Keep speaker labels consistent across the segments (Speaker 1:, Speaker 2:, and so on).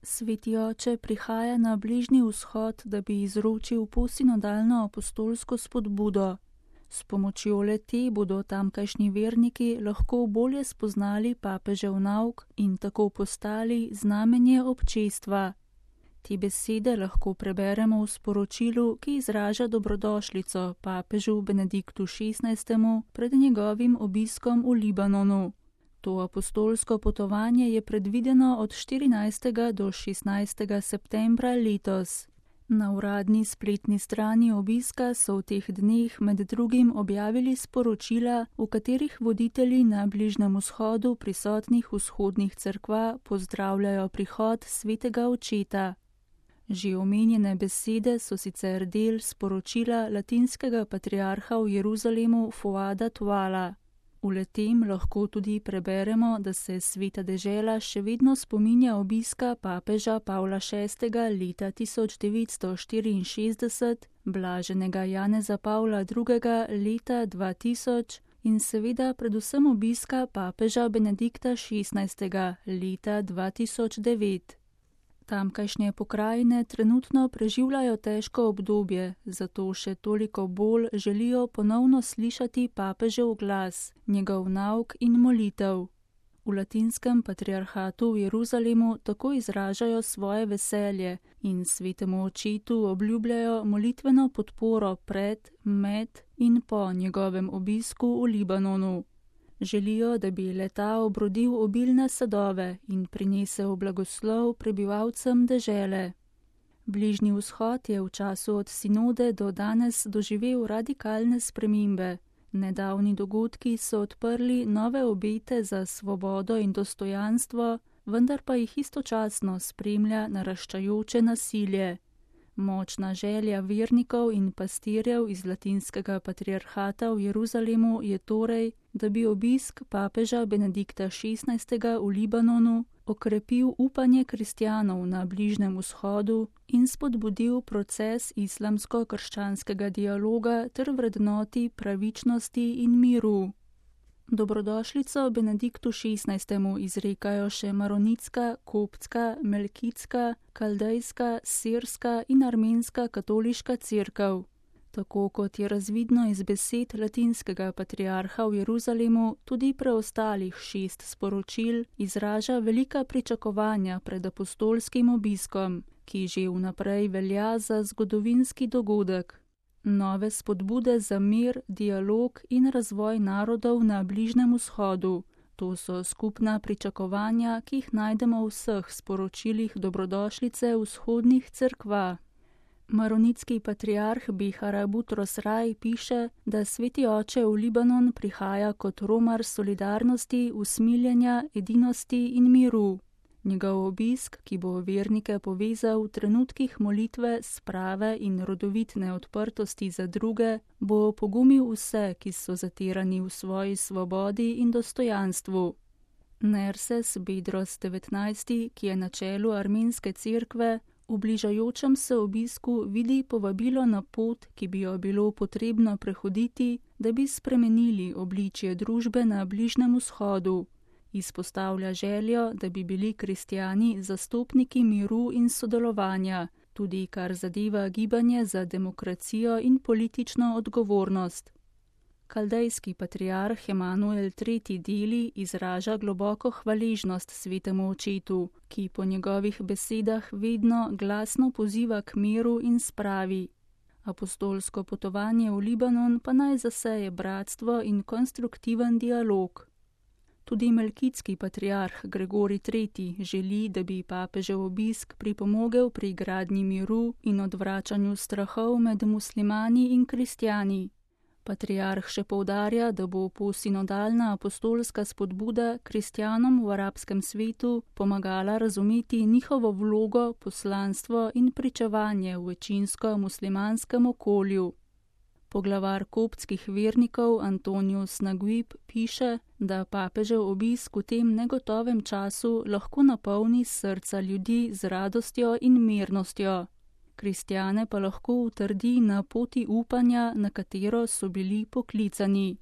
Speaker 1: Sveti oče prihaja na Bližnji vzhod, da bi izročil posinodalno apostolsko spodbudo. S pomočjo le-te bodo tamkajšnji verniki lahko bolje spoznali papežev nauk in tako postali znamenje občestva. Te besede lahko preberemo v sporočilu, ki izraža dobrodošlico papežu Benediktu XVI. Pred njegovim obiskom v Libanonu. To apostolsko potovanje je predvideno od 14. do 16. septembra letos. Na uradni spletni strani obiska so v teh dneh med drugim objavili sporočila, v katerih voditelji na Bližnjem vzhodu prisotnih vzhodnih cerkva pozdravljajo prihod svetega očeta. Že omenjene besede so sicer del sporočila latinskega patriarha v Jeruzalemu Fuada Tuala. V le-tem lahko tudi preberemo, da se sveta dežela še vedno spominja obiska papeža Pavla VI. Leta 1964, blaženega Janeza Pavla II. Leta 2000 in seveda predvsem obiska papeža Benedikta XVI. Leta 2009. Tamkajšnje pokrajine trenutno preživljajo težko obdobje, zato še toliko bolj želijo ponovno slišati papežev glas, njegov nauk in molitev. V latinskem patriarhatu v Jeruzalemu tako izražajo svoje veselje in svetemu očetu obljubljajo molitveno podporo pred, med in po njegovem obisku v Libanonu. Želijo, da bi le-ta obrodil obilne sadove in prinesel blagoslov prebivalcem dežele. Bližnji vzhod je v času od sinode do danes doživel radikalne spremembe. Nedavni dogodki so odprli nove obete za svobodo in dostojanstvo, vendar pa jih istočasno spremlja naraščajoče nasilje. Močna želja vernikov in pastirjev iz latinskega patriarhata v Jeruzalemu je torej, da bi obisk papeža Benedikta XVI. V Libanonu okrepil upanje kristjanov na Bližnjem vzhodu in spodbudil proces islamsko-krščanskega dialoga ter vrednoti pravičnosti in miru. Dobrodošlico Benediktu XVI. Izrekajo še maronitska, koptska, melkitska, kaldejska, sirska in armenska katoliška cerkev. Tako kot je razvidno iz besed latinskega patriarha v Jeruzalemu, tudi preostalih 6 sporočil izraža velika pričakovanja pred apostolskim obiskom, ki že vnaprej velja za zgodovinski dogodek. Nove spodbude za mir, dialog in razvoj narodov na Bližnjem vzhodu. To so skupna pričakovanja, ki jih najdemo v vseh sporočilih dobrodošlice vzhodnih cerkva. Maronitski patriarh Bihara Butros Rai piše, da sveti oče v Libanon prihaja kot romar solidarnosti, usmiljenja, edinosti in miru. Njegov obisk, ki bo vernike povezal v trenutkih molitve, sprave in rodovitne odprtosti za druge, bo pogumil vse, ki so zatirani v svoji svobodi in dostojanstvu. Nerses Bedros 19., ki je na čelu armenske cerkve, v bližajočem se obisku vidi povabilo na pot, ki bi jo bilo potrebno prehoditi, da bi spremenili obličje družbe na Bližnjem vzhodu. Izpostavlja željo, da bi bili kristjani zastopniki miru in sodelovanja, tudi kar zadeva gibanje za demokracijo in politično odgovornost. Kaldejski patriarh Emanuel III. Deli izraža globoko hvaležnost svetemu očetu, ki po njegovih besedah vedno glasno poziva k miru in spravi. Apostolsko potovanje v Libanon pa naj zaseje bratstvo in konstruktiven dialog. Tudi melkitski patriarh Gregorij III. Želi, da bi papežev obisk pripomogel pri gradnji miru in odvračanju strahov med muslimani in kristjani. Patriarh še poudarja, da bo posinodalna apostolska spodbuda kristjanom v arabskem svetu pomagala razumeti njihovo vlogo, poslanstvo in pričevanje v večinsko muslimanskem okolju. Poglavar koptskih vernikov Antonius Naguib piše, da papežev obisk v tem negotovem času lahko napolni srca ljudi z radostjo in mirnostjo. Kristjane pa lahko utrdi na poti upanja, na katero so bili poklicani.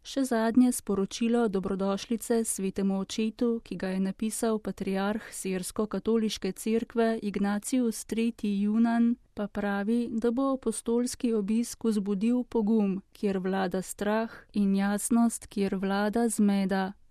Speaker 1: Še zadnje sporočilo dobrodošlice svetemu očetu, ki ga je napisal patriarh Sirsko-katoliške cerkve Ignatius III. Junan, pa pravi, da bo apostolski obisk vzbudil pogum, kjer vlada strah, in jasnost, kjer vlada zmeda.